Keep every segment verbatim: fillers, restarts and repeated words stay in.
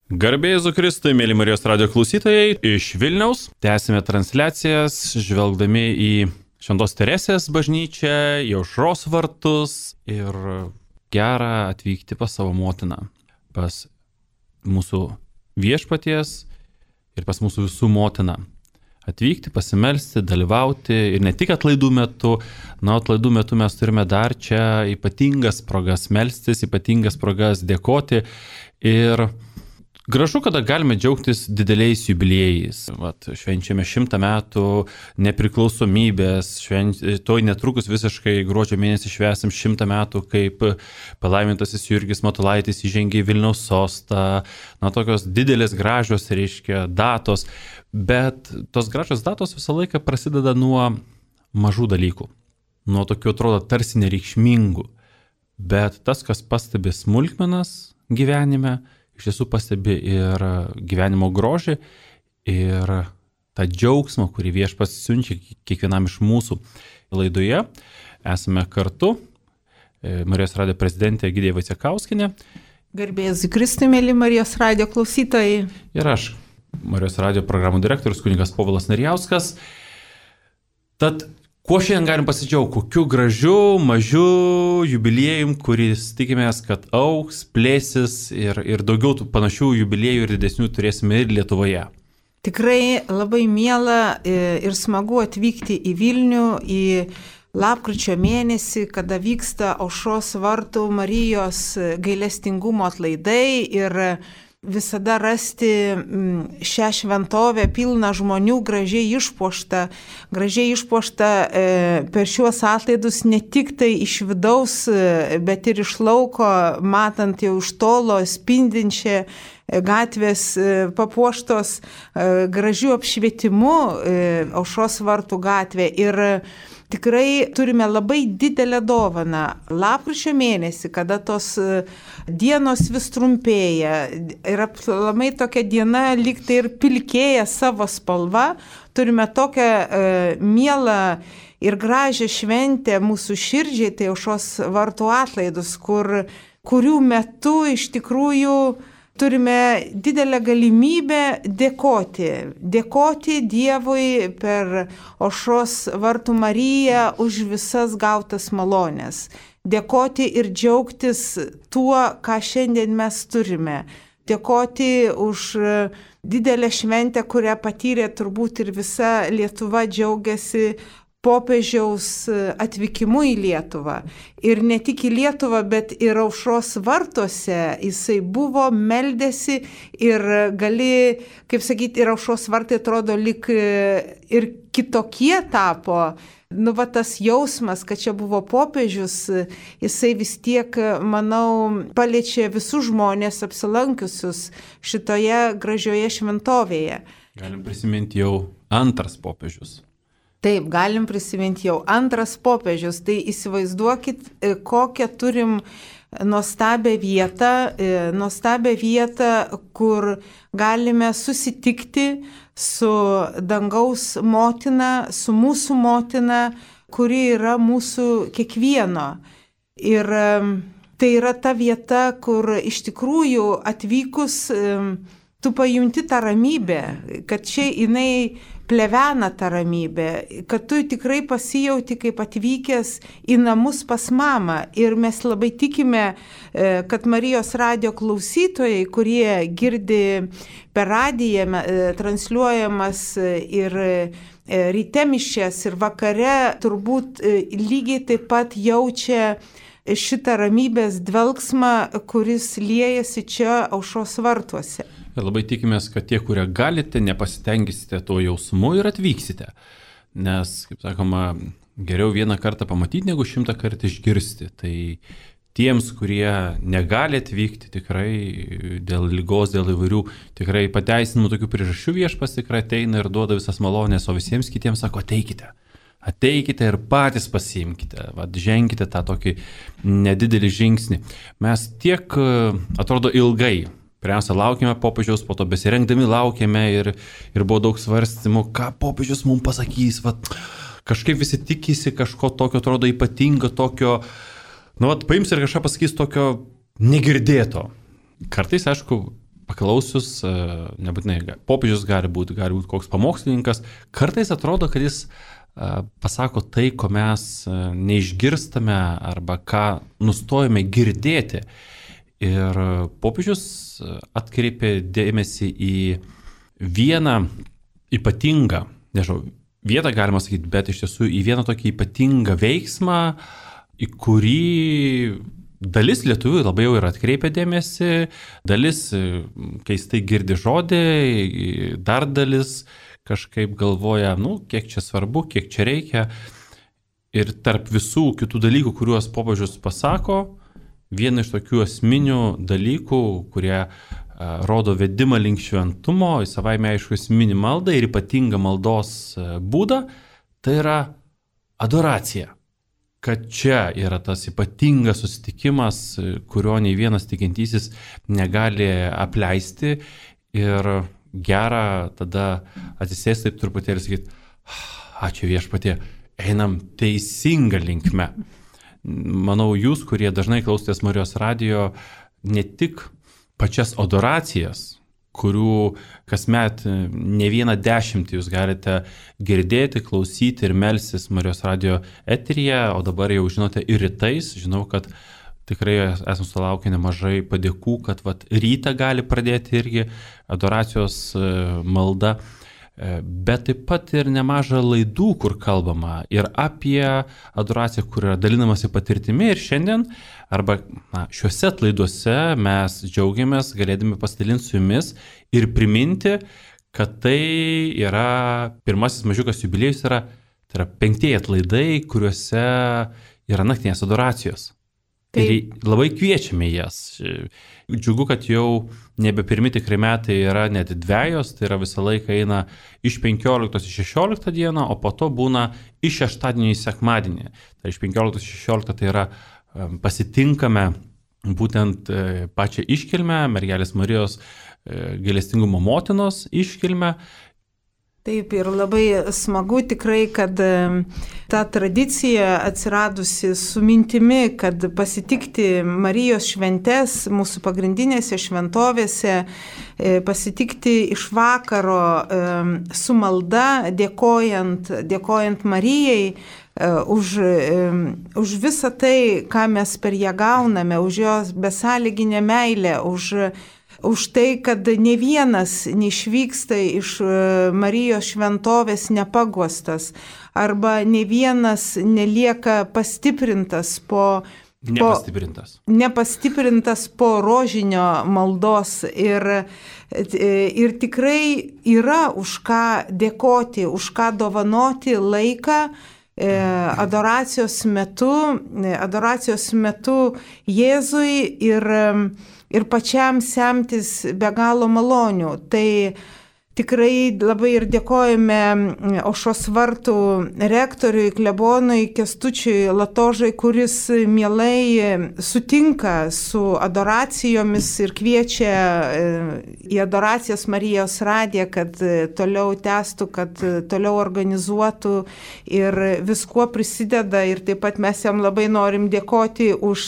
Garbė Jėzui Kristui, mėly Marijos radijo klausytojai, iš Vilniaus. Tęsime transliacijas, žvelgdami į Šventos Teresės bažnyčią, į Aušros vartus ir gera atvykti pas savo motiną, pas mūsų viešpaties ir pas mūsų visų motiną. Atvykti, pasimelsti, dalyvauti ir ne tik atlaidų metu, na, atlaidų metu mes turime dar čia ypatingas progas melstis, ypatingas progas dėkoti ir gražu, kada galime džiaugtis dideliais jubiliejais. Vat, švenčiame šimtą metų nepriklausomybės, švenč... toj netrukus visiškai gruodžio mėnesį švęsim šimtą metų, kaip palaimintasis Jurgis Matulaitis įžengė į Vilniaus sostą. Na, tokios didelės gražios, reiškia, datos, bet tos gražios datos visą laiką prasideda nuo mažų dalykų, nuo tokių atrodo tarsi nereikšmingų, bet tas, kas pastebi smulkmenas gyvenime, iš tiesų pastebi ir gyvenimo grožį, ir tą džiaugsmą, kurį Viešpats siunčia kiekvienam iš mūsų. Laidoje esame kartu, Marijos radijo prezidentė Egidija Vaicekauskienė. Garbė Jėzui Kristui, mėly Marijos radijo klausytojai. Ir aš, Marijos radijo programų direktorius kunigas Povilas Narijauskas. Tad kuo šiandien galim pasidžiaugti? Kokiu gražiu, mažu jubiliejum, kuris tikimės, kad augs, plėsis ir, ir daugiau tų panašių jubiliejų ir didesnių turėsime ir Lietuvoje. Tikrai labai miela ir smagu atvykti į Vilnių į lapkričio mėnesį, kada vyksta Aušros vartų Marijos gailestingumo atlaidai ir visada rasti šią šventovę pilną žmonių, gražiai išpuoštą, gražiai išpuoštą per šiuos atlaidus ne tik tai iš vidaus, bet ir iš lauko, matant jau iš tolo spindinčią gatvės papuoštos gražių apšvietimu Aušros vartų gatvė. Ir tikrai turime labai didelę dovaną. Lapkričio mėnesį, kada tos dienos vis trumpėja ir aplamai tokia diena lyg tai ir pilkėja savo spalva, turime tokią e, mielą ir gražią šventę mūsų širdžiai, tai Aušros vartų atlaidus, kur, kurių metu iš tikrųjų turime didelę galimybę dėkoti, dėkoti Dievui per Aušros vartų Mariją už visas gautas malonės, dėkoti ir džiaugtis tuo, ką šiandien mes turime, dėkoti už didelę šventę, kurią patyrė turbūt ir visa Lietuva, džiaugiasi popiežiaus atvykimu į Lietuvą. Ir ne tik į Lietuvą, bet ir Aušros vartuose jisai buvo, meldėsi ir gali, kaip sakyti, ir Aušros vartai atrodo lyg ir kitokie tapo. Nu, va tas jausmas, kad čia buvo popiežius, jisai vis tiek, manau, paliečia visus žmonės apsilankiusius šitoje gražioje šventovėje. Galim prisiminti jau antras popiežius. Taip, galim prisiminti jau antras popiežius, tai įsivaizduokit, kokią turim nuostabią vietą, nuostabią vietą, kur galime susitikti su dangaus motina, su mūsų motina, kuri yra mūsų kiekvieno. Ir tai yra ta vieta, kur iš tikrųjų atvykus tu pajunti tą ramybę, kad čia jinai plevena tą ramybę, kad tu tikrai pasijauti kaip atvykęs į namus pas mamą. Ir mes labai tikime, kad Marijos radijo klausytojai, kurie girdi per radiją transliuojamas ir ryte mišias ir vakare, turbūt lygiai taip pat jaučia šitą ramybės dvelgsmą, kuris liejasi čia Aušros vartuose. Ir labai tikimės, kad tie, kurie galite, nepasitengisite to jausmu ir atvyksite. Nes, kaip sakoma, geriau vieną kartą pamatyti, negu šimtą kartą išgirsti. Tai tiems, kurie negali atvykti, tikrai dėl ligos, dėl įvairių tikrai pateisinimų tokių priežasčių, Viešpats tikrai ateina ir duoda visas malonės, o visiems kitiems sako, ateikite. Ateikite ir patys pasiimkite, vat, ženkite tą tokį nedidelį žingsnį. Mes tiek, atrodo, ilgai, pirmiausia, laukėme popiežiaus, po to besirengdami laukėme ir, ir buvo daug svarstymų, ką popiežius mums pasakys. Vat, kažkaip visi tikisi kažko tokio, atrodo, ypatingo, tokio, nu, vat, paims ir kažką pasakys tokio negirdėto. Kartais, aišku, paklausius, nebūtinai popiežius gali būti, gali būti koks pamokslininkas, kartais atrodo, kad jis pasako tai, ko mes neišgirstame arba ką nustojame girdėti. Ir popiežius atkreipė dėmesį į vieną ypatingą, nežinau, vietą galima sakyti, bet iš tiesų į vieną tokį ypatingą veiksmą, į kurį dalis lietuvių labai jau ir atkreipia dėmesį, dalis keistai girdi žodį, dar dalis kažkaip galvoja, nu, kiek čia svarbu, kiek čia reikia. Ir tarp visų kitų dalykų, kuriuos popiežius pasako, viena iš tokių esminių dalykų, kurie uh, rodo vedimą link šventumo, į savaime aišku esminį maldą ir ypatingą maldos uh, būdą, tai yra adoracija. Kad čia yra tas ypatingas susitikimas, kurio nei vienas tikintysis negali apleisti ir gera tada atsisėsti taip truputėlį ir sakyti, ačiū viešpatie, einam teisinga linkme. Manau, jūs, kurie dažnai klausotės Marijos radijo, ne tik pačias adoracijas, kurių kasmet ne vieną dešimtį jūs galite girdėti, klausyti ir melstis Marijos radijo eteryje, o dabar jau žinote ir rytais, žinau, kad tikrai esame sulaukę nemažai padėkų, kad vat, rytą gali pradėti irgi adoracijos malda, bet taip pat ir nemaža laidų, kur kalbama ir apie adoraciją, kur yra dalinamasi patirtimi. Ir šiandien, arba na, šiuose laiduose mes džiaugiamės galėdami pasidalinti su jumis ir priminti, kad tai yra pirmasis mažiukas jubiliejus, yra, tai yra penktieji atlaidai, kuriuose yra naktinės adoracijos. Ir labai kviečiame jas. Džiugu, kad jau nebe pirmi tikrai metai yra net dvejos, tai yra visą laiką eina iš penkioliktos į šešioliktą dieną, o po to būna iš šeštadienio į sekmadienį. Tai iš penkioliktos į šešioliktą tai yra pasitinkame būtent pačią iškilmę, Mergelės Marijos gailestingumo motinos iškilmę. Taip, ir labai smagu tikrai, kad ta tradicija atsiradusi su mintimi, kad pasitikti Marijos šventes mūsų pagrindinėse šventovėse, pasitikti iš vakaro su malda, dėkojant, dėkojant Marijai už, už visą tai, ką mes per ją gauname, už jos besąlyginę meilę, už Už tai, kad ne vienas neišvyksta iš Marijos šventovės nepaguostas, arba ne vienas nelieka pastiprintas po, nepastiprintas. po, nepastiprintas po rožinio maldos. Ir, ir tikrai yra už ką dėkoti, už ką dovanoti laiką adoracijos metu, adoracijos metu Jėzui ir ir pačiam semtis be galo malonių. Tai tikrai labai ir dėkojame Aušros vartų rektoriui, klebonui Kęstučiui Latožai, kuris mielai sutinka su adoracijomis ir kviečia į adoracijas Marijos radiją, kad toliau tęstų, kad toliau organizuotų ir viskuo prisideda. Ir taip pat mes jam labai norim dėkoti už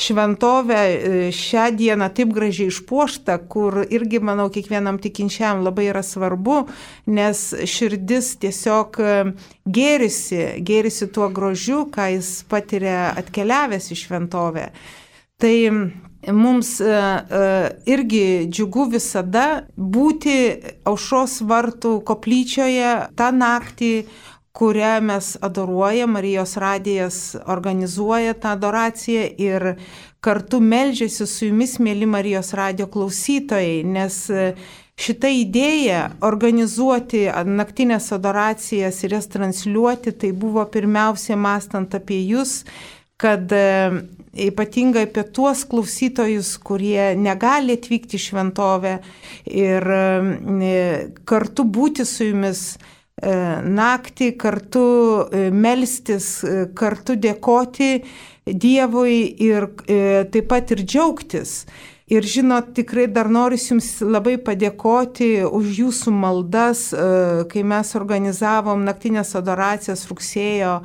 šventovę šią dieną taip gražiai išpuoštą, kur irgi, manau, kiekvienam tikinčiam labai yra svarbu, nes širdis tiesiog gėrisi, gėrisi tuo grožiu, ką jis patiria atkeliavęs į šventovę. Tai mums irgi džiugu visada būti Aušros vartų koplyčioje tą naktį, kurią mes adoruojam. Marijos radijas organizuoja tą adoraciją ir kartu meldžiasi su jumis, mėly Marijos radijo klausytojai, nes šita idėja organizuoti naktinės adoracijas ir jas transliuoti, tai buvo pirmiausia mąstant apie jūs, kad ypatingai apie tuos klausytojus, kurie negali atvykti į šventovę ir kartu būti su jumis naktį, kartu melstis, kartu dėkoti Dievui ir taip pat ir džiaugtis. Ir žinot, tikrai dar noriu jums labai padėkoti už jūsų maldas, kai mes organizavom naktinės adoracijas rugsėjo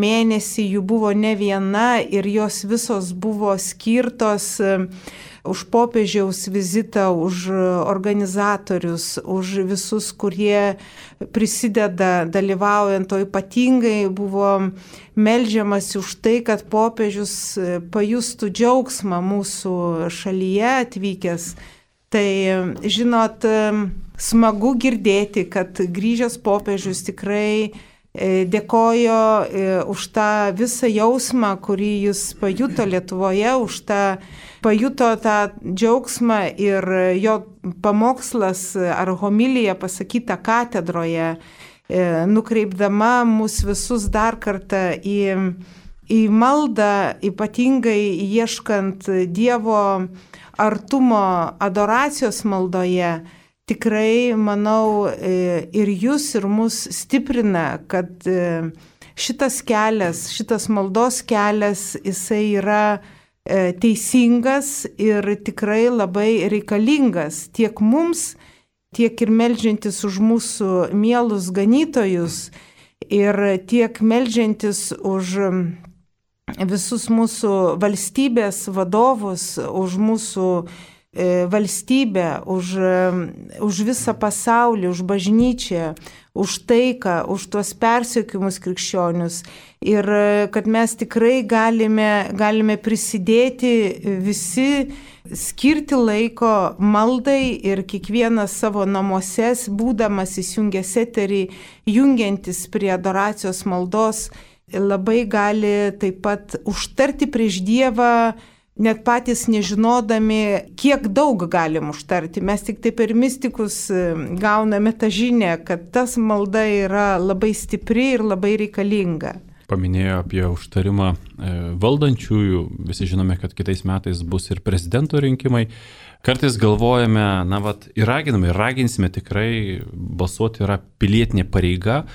mėnesį, jų buvo ne viena ir jos visos buvo skirtos už popiežiaus vizitą, už organizatorius, už visus, kurie prisideda dalyvaujant, o ypatingai buvo meldžiamas už tai, kad popiežius pajustų džiaugsmą mūsų šalyje atvykęs. Tai, žinot, smagu girdėti, kad grįžęs popiežius tikrai dėkojo už tą visą jausmą, kurį jis pajuto Lietuvoje, už tą pajuto tą džiaugsmą ir jo pamokslas ar homilija pasakyta katedroje, nukreipdama mus visus dar kartą į, į maldą, ypatingai ieškant Dievo artumo adoracijos maldoje. Tikrai, manau, ir jūs, ir mus stiprina, kad šitas kelias, šitas maldos kelias, jisai yra teisingas ir tikrai labai reikalingas tiek mums, tiek ir meldžiantis už mūsų mielus ganytojus ir tiek meldžiantis už visus mūsų valstybės vadovus, už mūsų valstybę, už, už visą pasaulį, už bažnyčią, už taiką, už tuos persekiojimus krikščionius. Ir kad mes tikrai galime, galime prisidėti visi, skirti laiko maldai ir kiekvienas savo namuose, būdamas įsijungęs eterį, jungiantis prie adoracijos maldos, labai gali taip pat užtarti prieš Dievą, net patys nežinodami, kiek daug galim užtarti. Mes tik taip per mistikus gauname tą žinią, kad tas malda yra labai stipri ir labai reikalinga. Paminėjo apie užtarimą valdančiųjų. Visi žinome, kad kitais metais bus ir prezidento rinkimai. Kartais galvojame, na, vat, ir raginame, ir raginsime tikrai balsuoti yra pilietinė pareiga.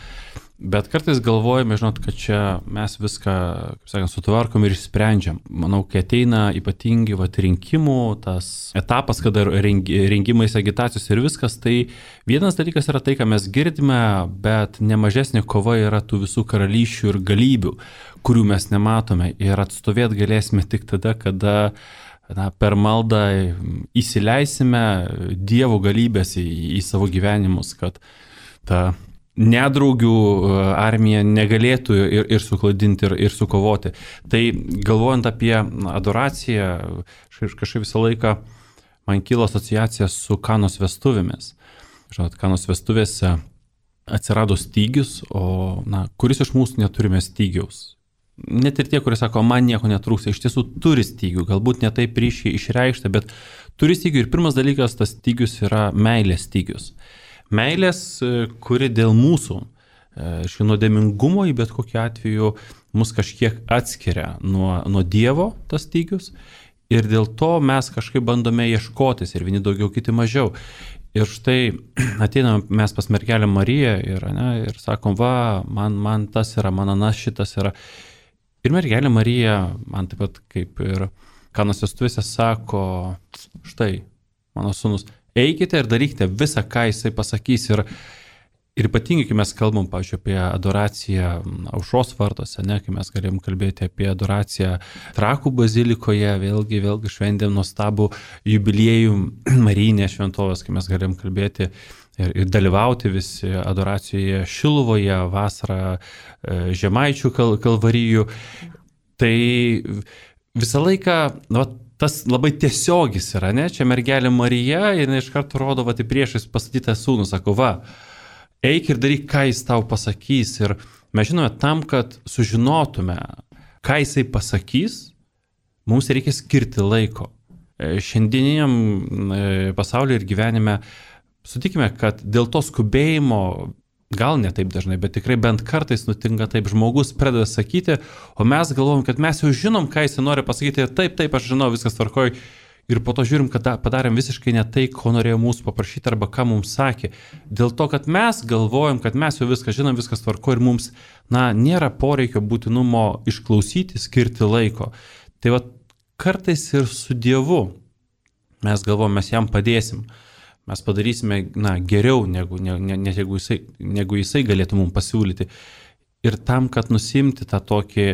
Bet kartais galvojame, žinot, kad čia mes viską, kaip sakant, sutvarkom ir išsprendžiam. Manau, kai ateina ypatingi vat, rinkimų, tas etapas, kada rengimais, agitacijos ir viskas, tai vienas dalykas yra tai, ką mes girdime, bet nemažesnė kova yra tų visų karalysčių ir galybių, kurių mes nematome. Ir atstovėti galėsime tik tada, kada na, per maldą įsileisime Dievo galybės į, į savo gyvenimus, kad ta nedraugių armija negalėtų ir, ir suklaidinti, ir, ir sukovoti. Tai galvojant apie adoraciją, kažkaip visą laiką man kilo asociacija su Kanos vestuvėmis. Žinot, Kanos vestuvėse atsirado stygius, o na, kuris iš mūsų neturime stygiaus. Net ir tie, kurie sako, man nieko netrūksta, iš tiesų turi stygių, galbūt ne taip ryšiai išreikšta, bet turi stygių. Ir pirmas dalykas, tas stygius yra meilės stygius. Meilės, kuri dėl mūsų, iš nuodėmingumo į bet kokiu atveju mus kažkiek atskiria nuo, nuo Dievo tas stygius ir dėl to mes kažkaip bandome ieškotis ir vieni daugiau, kiti mažiau. Ir štai ateiname mes pas mergelę Mariją ir, ne, ir sakom, va, man, man tas yra, man anas šitas yra. Ir mergelė Marija, man taip pat kaip ir Kanos vestuvėse sako, štai, mano sūnus, eikite ir darykite visą, ką jisai pasakys. Ir, ir ypatingai, kai mes kalbam, pavyzdžiui, apie adoraciją Aušros vartuose, ne, kai mes galim kalbėti apie adoraciją Trakų bazilikoje, vėlgi, vėlgi šventėm nuostabų jubiliejų Marijinės šventovės, kai mes galim kalbėti ir, ir dalyvauti visi adoracijoje Šiluvoje, vasarą Žemaičių kal, kalvarijų. Tai visą laiką, na, tas labai tiesiogis yra, ne? Čia mergelė Marija ir iš karto rodo, va, tai priešais pastatytą sūnų, sako, va, eik ir daryk, ką jis tau pasakys. Ir mes žinome, tam, kad sužinotume, ką jisai pasakys, mums reikia skirti laiko. Šiandieniniam pasaulyje ir gyvenime sutikime, kad dėl to skubėjimo, gal ne taip dažnai, bet tikrai bent kartais nutinka taip, žmogus pradeda sakyti, o mes galvom, kad mes jau žinom, ką jis nori pasakyti, taip, taip, aš žinau, viskas tvarkoj, ir po to žiūrim, kad padarėm visiškai ne tai, ko norėjo mūsų paprašyti arba ką mums sakė. Dėl to, kad mes galvojam, kad mes jau viską žinom, viskas tvarkoj ir mums, na, nėra poreikio būtinumo išklausyti, skirti laiko. Tai va, kartais ir su Dievu mes galvojam, mes jam padėsim. Mes padarysime, na, geriau, negu, ne, ne, ne, negu, jisai, negu jisai galėtų mums pasiūlyti. Ir tam, kad nusimti tą tokį,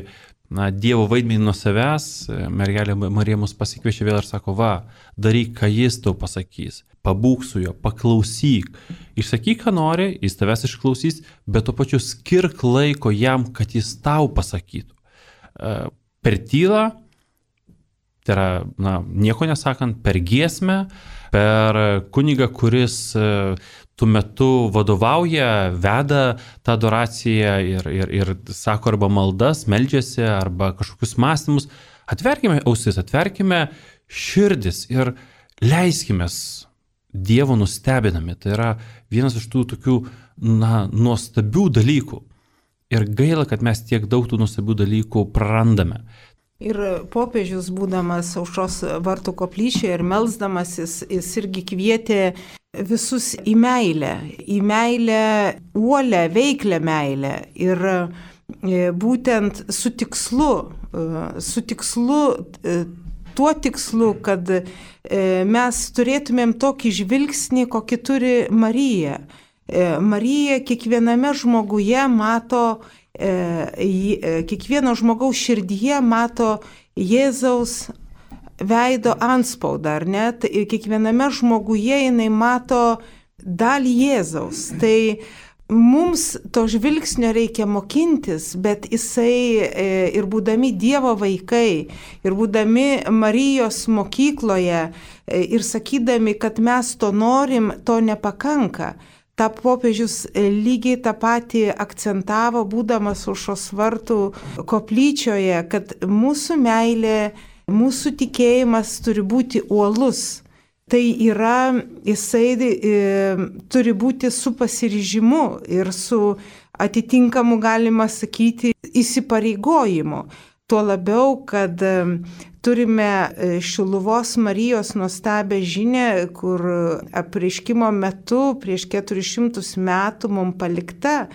na, Dievo vaidmenį nuo savęs, mergelė Marija mus pasikviečia vėl ir sako, va, daryk, ką jis tau pasakys, pabūk su juo, paklausyk, išsakyk, ką nori, jis tavęs išklausys, bet tuo pačiu skirk laiko jam, kad jis tau pasakytų. Per tylą, tai yra, na, nieko nesakant, per giesmę, per kunigą, kuris tuo metu vadovauja, veda tą adoraciją ir, ir, ir sako arba maldas, meldžiasi, arba kažkokius mąstymus. Atverkime ausis, atverkime širdis ir leiskime Dievo nustebinami. Tai yra vienas iš tų tokių, na, nuostabių dalykų. Ir gaila, kad mes tiek daug tų nuostabių dalykų prarandame. Ir popiežius, būdamas Aušros vartų koplyčioje ir melsdamasis, jis irgi kvietė visus į meilę, į meilę, uolę, veiklę meilę. Ir būtent su tikslu, su tikslu, tuo tikslu, kad mes turėtumėm tokį žvilgsnį, kokį turi Marija. Marija kiekviename žmoguje mato, kiekvieno žmogaus širdyje mato Jėzaus veido antspaudą, ar ne? Kiekviename žmoguje jinai mato dalį Jėzaus. Tai mums to žvilgsnio reikia mokintis, bet jisai ir būdami Dievo vaikai, ir būdami Marijos mokykloje, ir sakydami, kad mes to norim, to nepakanka. Ta popiežius lygiai tą patį akcentavo, būdamas Aušros vartų koplyčioje, kad mūsų meilė, mūsų tikėjimas turi būti uolus. Tai yra, jisai e, turi būti su pasiryžimu ir su atitinkamu, galima sakyti, įsipareigojimu. Tuo labiau, kad turime Šiluvos Marijos nuostabią žinią, kur apreiškimo metu prieš keturis šimtus metų mums palikta,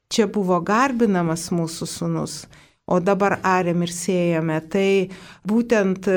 čia buvo garbinamas mūsų sūnus, o dabar ariam ir sėjame. Tai būtent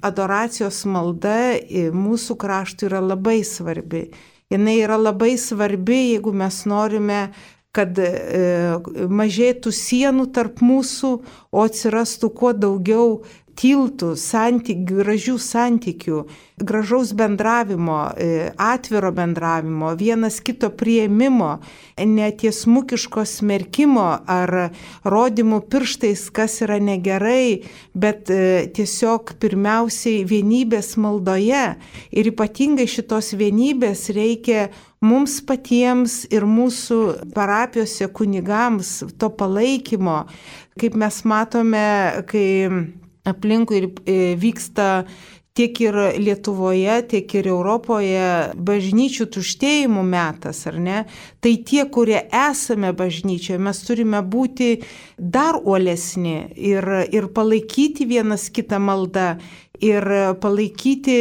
adoracijos malda mūsų kraštui yra labai svarbi. Jinai yra labai svarbi, jeigu mes norime, kad e, mažėtų sienų tarp mūsų, o atsirastų kuo daugiau tiltų, santykių, gražių santykių, gražaus bendravimo, e, atviro bendravimo, vienas kito priėmimo, netiesmukiško smerkimo ar rodymų pirštais, kas yra negerai, bet e, tiesiog pirmiausiai vienybės maldoje. Ir ypatingai šitos vienybės reikia mums patiems ir mūsų parapijose kunigams, to palaikymo, kaip mes matome, kai aplinkui vyksta tiek ir Lietuvoje, tiek ir Europoje bažnyčių tuštėjimų metas, ar ne? Tai tie, kurie esame bažnyčioje, mes turime būti dar uolesni ir, ir palaikyti vienas kitą maldą. Ir palaikyti,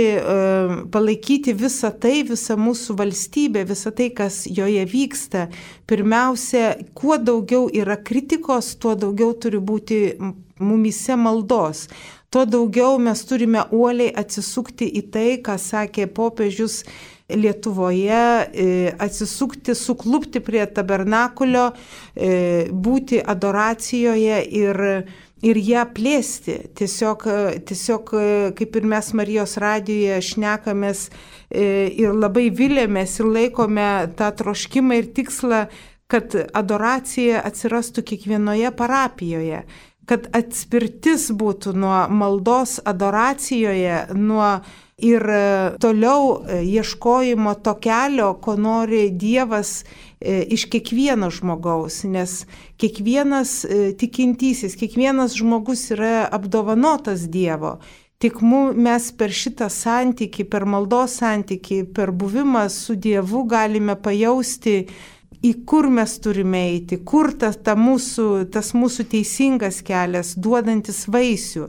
palaikyti visą tai, visą mūsų valstybę, visą tai, kas joje vyksta. Pirmiausia, kuo daugiau yra kritikos, tuo daugiau turi būti mumyse maldos. Tuo daugiau mes turime uoliai atsisukti į tai, ką sakė popiežius Lietuvoje, atsisukti, suklupti prie tabernakulio, būti adoracijoje ir ir ją plėsti. Tiesiog, tiesiog kaip ir mes Marijos radijoje šnekamės ir labai vilėmės ir laikome tą troškimą ir tikslą, kad adoracija atsirastų kiekvienoje parapijoje, kad atspirtis būtų nuo maldos adoracijoje, nuo ir toliau ieškojimo to kelio, ko nori Dievas iš kiekvieno žmogaus, nes kiekvienas tikintysis, kiekvienas žmogus yra apdovanotas Dievo. Tik mes per šitą santykį, per maldos santykį, per buvimą su Dievu galime pajausti, į kur mes turime eiti, kur tas, ta mūsų, tas mūsų teisingas kelias, duodantis vaisių.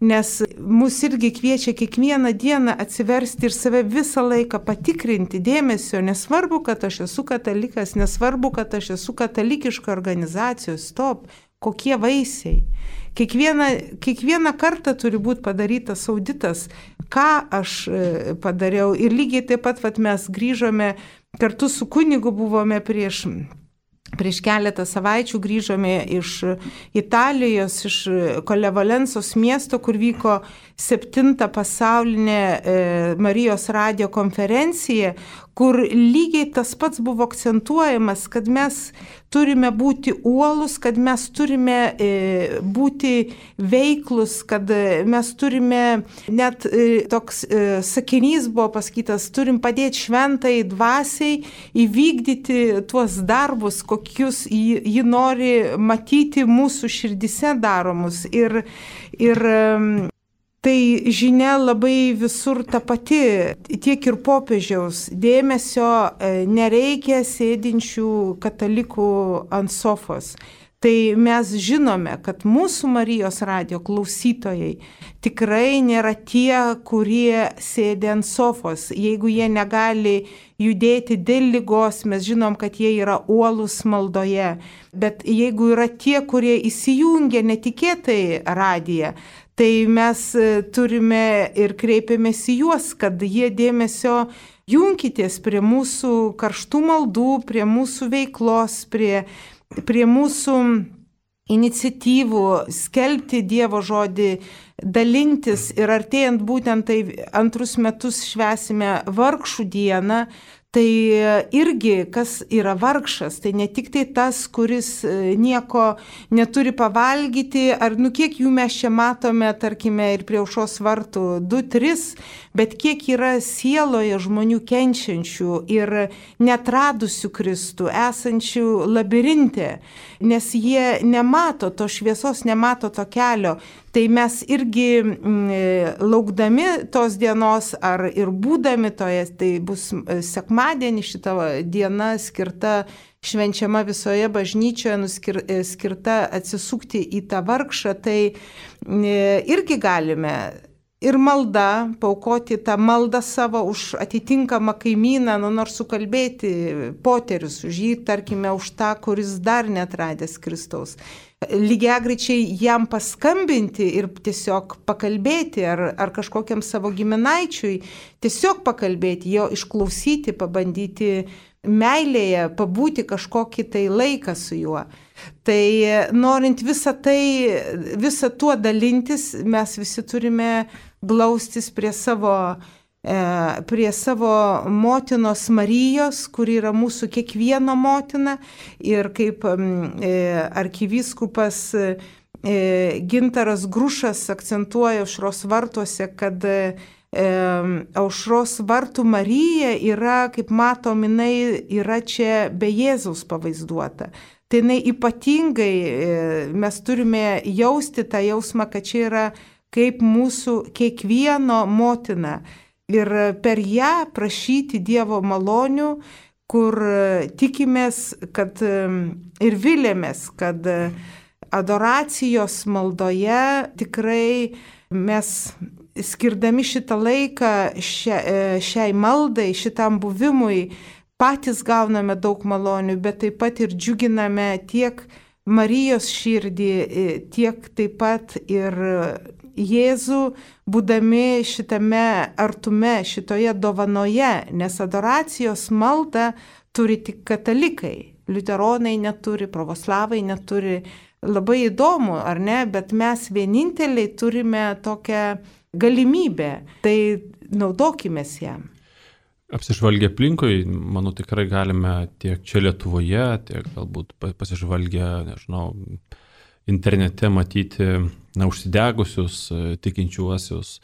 Nes mus irgi kviečia kiekvieną dieną atsiversti ir save visą laiką patikrinti dėmesio. Nesvarbu, kad aš esu katalikas, nesvarbu, kad aš esu katalikiška organizacijos, stop, kokie vaisiai. Kiekvieną, kiekvieną kartą turi būti padarytas auditas, ką aš padariau. Ir lygiai taip pat vat, mes grįžome, kartu su kunigu buvome prieš Prieš keletą savaičių grįžome iš Italijos, iš Kolevalensos miesto, kur vyko septinta pasaulinė Marijos radijo konferencija, kur lygiai tas pats buvo akcentuojamas, kad mes turime būti uolus, kad mes turime būti veiklus, kad mes turime, net toks sakinys buvo pasakytas, turim padėti šventai dvasiai įvykdyti tuos darbus, kokius ji nori matyti mūsų širdise daromus. Ir, ir tai žinia labai visur ta pati, tiek ir popiežiaus dėmesio nereikia sėdinčių katalikų ant sofos. Tai mes žinome, kad mūsų Marijos radijo klausytojai tikrai nėra tie, kurie sėdi ant sofos. Jeigu jie negali judėti dėl ligos, mes žinom, kad jie yra uolus maldoje. Bet jeigu yra tie, kurie įsijungia netikėtai radiją, tai mes turime ir kreipiamės į juos, kad jie dėmesio junkitės prie mūsų karštų maldų, prie mūsų veiklos, prie, prie mūsų iniciatyvų skelbti Dievo žodį, dalintis. Ir artėjant būtent tai antrus metus švęsime vargšų dieną. Tai irgi, kas yra vargšas, tai ne tik tai tas, kuris nieko neturi pavalgyti, ar nu kiek jų mes čia matome, tarkime, ir prie aušros vartų du, tris, bet kiek yra sieloje žmonių kenčiančių ir neatradusių Kristų, esančių labirinte, nes jie nemato to šviesos, nemato to kelio. Tai mes irgi laukdami tos dienos ar ir būdami toje, tai bus sekmadienį šita diena skirta, švenčiama visoje bažnyčioje, skirta atsisukti į tą vargšą, tai irgi galime ir malda, paaukoti tą maldą savo už atitinkamą kaimyną, nu nors sukalbėti poterius už jį, tarkime, už tą, kuris dar netradęs Kristaus. Lygiagrečiai jam paskambinti ir tiesiog pakalbėti, ar, ar kažkokiam savo giminaičiui tiesiog pakalbėti, jo išklausyti, pabandyti meilėje, pabūti kažkokį tai laiką su juo. Tai norint visą tai, visą tuo dalintis, mes visi turime glaustis prie savo, e, prie savo motinos Marijos, kuri yra mūsų kiekvieno motina. Ir kaip e, arkivyskupas e, Gintaras Grušas akcentuoja aušros vartuose, kad e, aušros vartų Marija yra, kaip matom, jinai yra čia be Jėzaus pavaizduota. Tai jinai ypatingai, mes turime jausti tą jausmą, kad čia yra kaip mūsų kiekvieno motina. Ir per ją prašyti Dievo malonių, kur tikimės, kad ir vilėmės, kad adoracijos maldoje tikrai mes skirdami šitą laiką šia, šiai maldai, šitam buvimui, patys gauname daug malonių, bet taip pat ir džiuginame tiek Marijos širdį, tiek taip pat ir Jėzų, būdami šitame artume, šitoje dovanoje, nes adoracijos maldą turi tik katalikai. Liuteronai neturi, pravoslavai neturi. Labai įdomu, ar ne, bet mes vieninteliai turime tokią galimybę, tai naudokimės ją. Apsižvalgę aplinkui, manau, tikrai galime tiek čia Lietuvoje, tiek galbūt pasižvalgę, nežinau, internete matyti na, užsidegusius tikinčiuosius,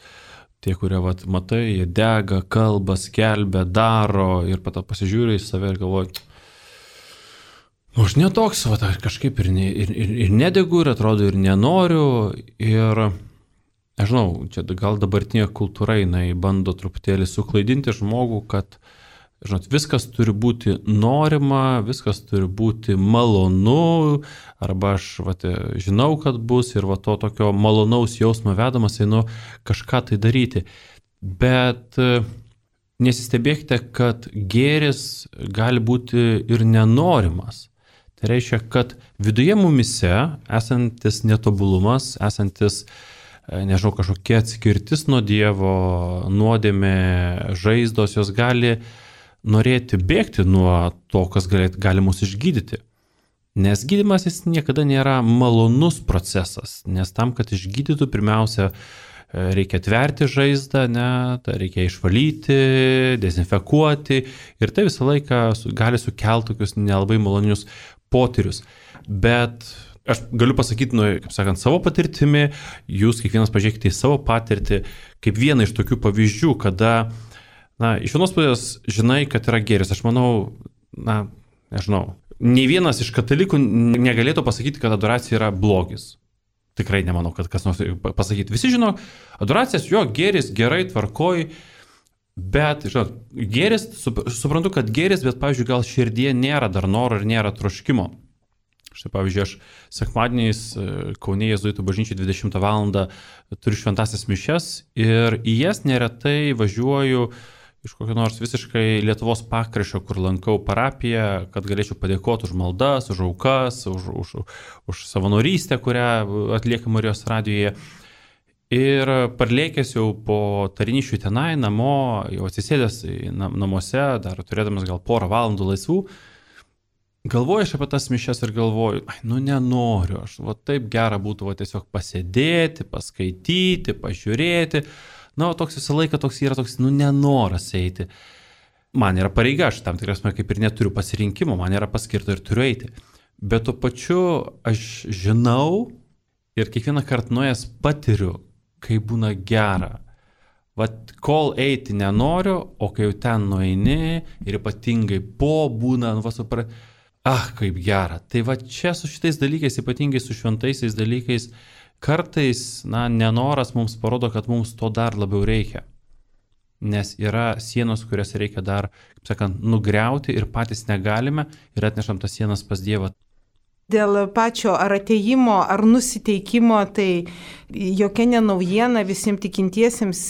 tie, kurie vat, matai, jie dega, kalba, skelbia, daro ir pato pasižiūrė į save ir galvoja, nu, aš netoks, vat, kažkaip ir, ne, ir, ir, ir nedegu, ir atrodo, ir nenoriu, ir nežinau, čia gal dabartinė kultūra, jinai bando truputėlį suklaidinti žmogų, kad, žinot, viskas turi būti norima, viskas turi būti malonu, arba aš, vat, žinau, kad bus, ir va to tokio malonaus jausmo vedamas, einu kažką tai daryti. Bet nesistebėkite, kad gėris gali būti ir nenorimas. Tai reiškia, kad viduje mumise esantis netobulumas, esantis nežinau, kažkokia atskirtis nuo Dievo, nuodėmė, žaizdos, jos gali norėti bėgti nuo to, kas gali, gali mus išgydyti. Nes gydymas jis niekada nėra malonus procesas, nes tam, kad išgydytų, pirmiausia, reikia tverti žaizdą, ne, tai reikia išvalyti, dezinfekuoti ir tai visą laiką gali sukelti tokius nelabai malonius potyrius. Bet aš galiu pasakyti, nu, kaip sakant, savo patirtimi, jūs kiekvienas pažiūrėkite į savo patirtį, kaip vieną iš tokių pavyzdžių, kada, na, iš vienos pusės žinai, kad yra gėris. Aš manau, na, nežinau, nei vienas iš katalikų negalėtų pasakyti, kad adoracija yra blogis. Tikrai nemanau, kad kas nors pasakyti. Visi žino, adoracijas, jo, gėris, gerai, tvarkoj, bet, žinot, gėris, suprantu, kad gėris, bet, pavyzdžiui, gal širdie nėra dar noro ir nėra troškimo. Štai, pavyzdžiui, aš sekmadieniais Kaune Jėzuitų bažnyčiai dvidešimtą valandą turiu šventasias mišias ir į jas neretai važiuoju iš kokio nors visiškai Lietuvos pakraščio, kur lankau parapiją, kad galėčiau padėkoti už maldas, už aukas, už, už, už savanorystę, kurią atlieka Marijos radijoje. Ir parlėkęs jau po tarnyšių tenai, namo, jau atsisėdęs namuose, dar turėdamas gal porą valandų laisvų, galvoju aš apie tas mišias ir galvoju, ai, nu nenoriu, aš va taip gera būtų va, tiesiog pasėdėti, paskaityti, pažiūrėti. Na, o toks visą laiką toks yra toks, nu, nenoras eiti. Man yra pareiga, aš tam tikras, kaip ir neturiu pasirinkimo, man yra paskirta ir turiu eiti. Bet tuo pačiu aš žinau ir kiekvieną kartą nuėjęs patiriu, kai būna gera. Vat kol eiti nenoriu, o kai jau ten nueini ir ypatingai po būna, nu, va, supra... Ah, kaip gera. Tai va čia su šitais dalykais, ypatingai su šventaisiais dalykais, kartais, na, nenoras mums parodo, kad mums to dar labiau reikia. Nes yra sienos, kurias reikia dar, kaip sakant, nugriauti ir patys negalime ir atnešam tas sienas pas Dievą. Dėl pačio ar ateimo, ar nusiteikimo, tai jokia nenaujiena visiems tikintiesiems,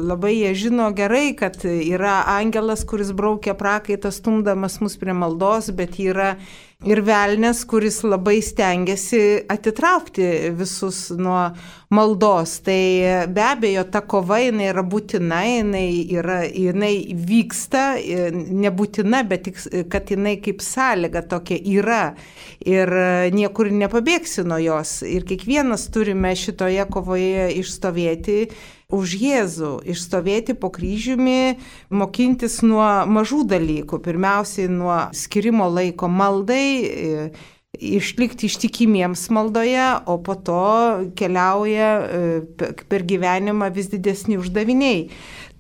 labai jie žino gerai, kad yra angelas, kuris braukia prakaitą stumdamas mus prie maldos, bet yra ir velnias, kuris labai stengiasi atitraukti visus nuo maldos. Tai be abejo, ta kova jinai yra būtina, jinai, yra, jinai vyksta, nebūtina, bet tik, kad jinai kaip sąlyga tokia yra ir niekur nepabėgsi nuo jos. Ir kiekvienas turime šitoje kovoje išstovėti už Jėzų, išstovėti po kryžiumi, mokintis nuo mažų dalykų. Pirmiausiai nuo skirimo laiko maldai, išlikti ištikimiems maldoje, o po to keliauja per gyvenimą vis didesni uždaviniai.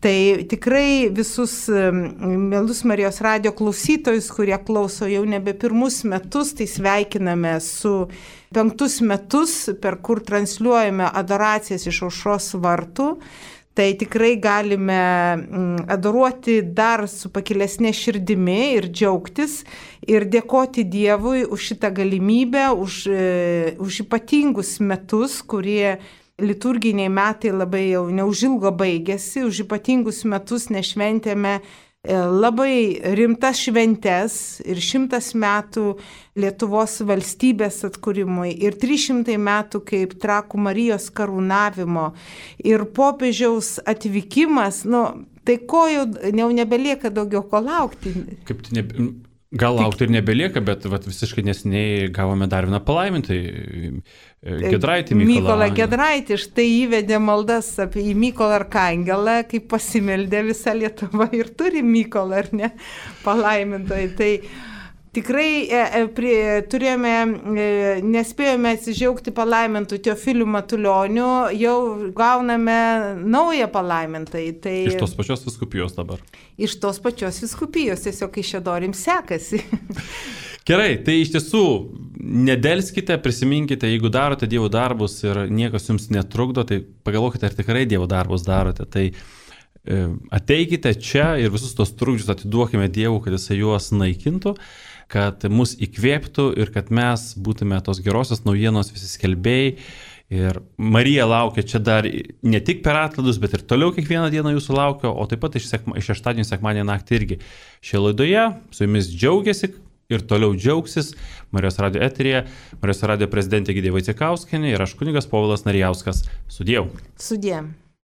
Tai tikrai visus mielus Marijos radijo klausytojus, kurie klauso jau nebe pirmus metus, tai sveikiname su penktus metus, per kur transliuojame adoracijas iš Aušros vartų. Tai tikrai galime adoruoti dar su pakilesnė širdimi ir džiaugtis ir dėkoti Dievui už šitą galimybę, už, už ypatingus metus, kurie liturginiai metai labai jau neužilgo baigėsi, už ypatingus metus nešventėme labai rimtas šventes ir šimtas metų Lietuvos valstybės atkūrimui ir trys šimtai metų kaip Trakų Marijos karūnavimo ir popiežiaus atvykimas, nu, tai ko jau, jau nebelieka daugiau ko laukti. Kaip tai ne... Gal laukti ir nebelieka, bet vat, visiškai nesiniai gavome dar vieną palaimintą Giedraitį Mykolą. Mykolą Giedraitį, štai įvedė maldas apie į Mykolą Arkangelą, kaip pasimeldė visa Lietuva ir turi Mykolą, ar ne, palaimintojai. Tai tikrai e, prie, turėjome, e, nespėjome atsižiaugti palaimintų Teofilių Matulionių, jau gauname naują palaimintą. Tai... Iš tos pačios vyskupijos dabar. Iš tos pačios vyskupijos, tiesiog Kaišiadorim sekasi. Gerai, tai iš tiesų nedelskite, prisiminkite, jeigu darote Dievo darbus ir niekas jums netrukdo, tai pagalvokite, ar tikrai Dievo darbus darote. Tai e, ateikite čia ir visus tos trukdžius atiduokime Dievui, kad jisai juos naikintų, kad mus įkvėptų ir kad mes būtume tos gerosios naujienos visi skelbėjai. Ir Marija laukia čia dar ne tik per atlaidus, bet ir toliau kiekvieną dieną jūsų laukia, o taip pat iš, sekma, iš šeštadienio sekmadienio naktį irgi. Šioje laidoje su jumis džiaugiasi ir toliau džiaugsis Marijos radijo eteryje, Marijos radijo prezidentė Egidija Vaicekauskienė ir aš kunigas Povilas Narijauskas. Sudiev. Sudiev.